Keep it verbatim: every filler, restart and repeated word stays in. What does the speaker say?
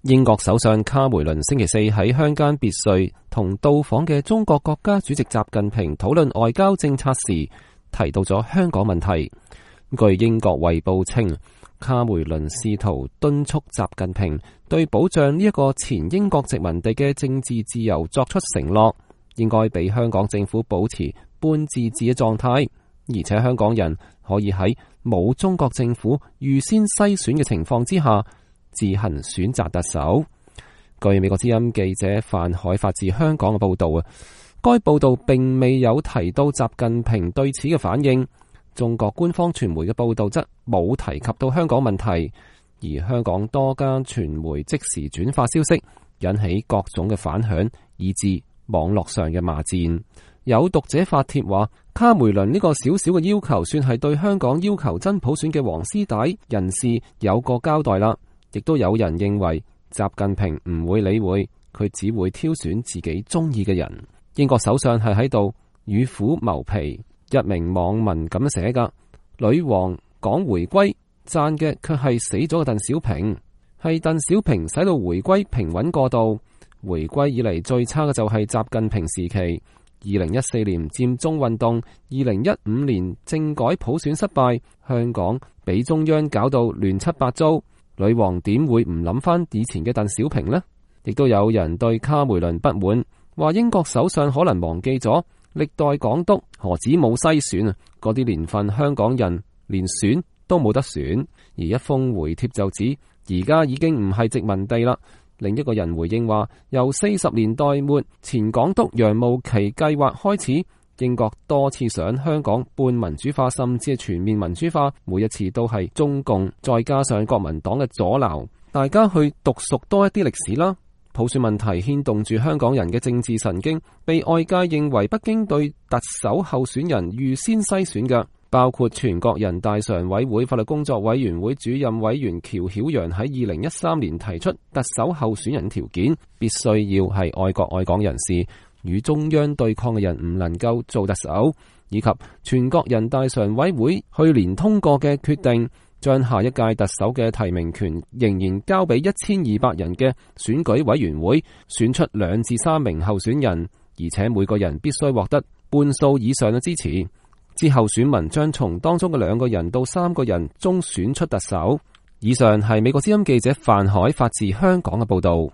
英國首相卡梅倫星期四喺鄉間別墅同到訪嘅中國國家主席習近平討論外交政策時，提到咗香港問題。據英國衛報稱，卡梅倫試圖敦促習近平對保障呢一個前英國殖民地嘅政治自由作出承諾，應該俾香港政府保持半自治嘅狀態，而且香港人可以喺冇中國政府預先篩選嘅情況之下自行選擇特首。據美國之音記者范海發自香港嘅報道啊，該報道並未有提到習近平對此嘅反應。中國官方傳媒嘅報道則冇提及到香港問題，而香港多間傳媒即時轉發消息，引起各種嘅反響，以致網絡上嘅罵戰。有讀者發帖話，卡梅倫呢個小小嘅要求，算係對香港要求真普選嘅黃絲帶人士有個交代啦。亦都有人認為習近平唔會理會，佢只會挑選自己中意嘅人。英國首相係喺度與虎謀皮，一名網民咁寫噶：女王講回歸，讚嘅卻係死咗嘅鄧小平，係鄧小平使到回歸平穩過渡。回歸以嚟最差嘅就係習近平時期。二零一四年佔中運動，二零一五年政改普選失敗，香港俾中央搞到亂七八糟。女王點會唔諗翻以前嘅鄧小平呢？亦都有人對卡梅倫不滿，話英國首相可能忘記咗歷代港督何止冇篩選啊，嗰啲年份香港人連選都冇得選。而一封回帖就指而家已經唔係殖民地啦。另一個人回應話，由四十年代末前港督楊慕琦計劃開始，英國多次想香港半民主化，甚至係全面民主化，每一次都係中共再加上國民黨嘅阻撓。大家去讀熟多一啲歷史啦。普選問題牽動住香港人嘅政治神經，被外界認為北京對特首候選人預先篩選嘅，包括全國人大常委會法律工作委員會主任委員喬曉陽喺二零一三年提出特首候選人條件，必須要係愛國愛港人士，與中央對抗嘅人唔能夠做特首，以及全國人大常委會去年通過嘅決定，將下一屆特首嘅提名權仍然交俾一千二百人嘅選舉委員會選出兩至三名候選人，而且每個人必須獲得半數以上嘅支持。之後選民將從當中嘅兩個人到三個人中選出特首。以上係美國之音記者范海發自香港嘅報道。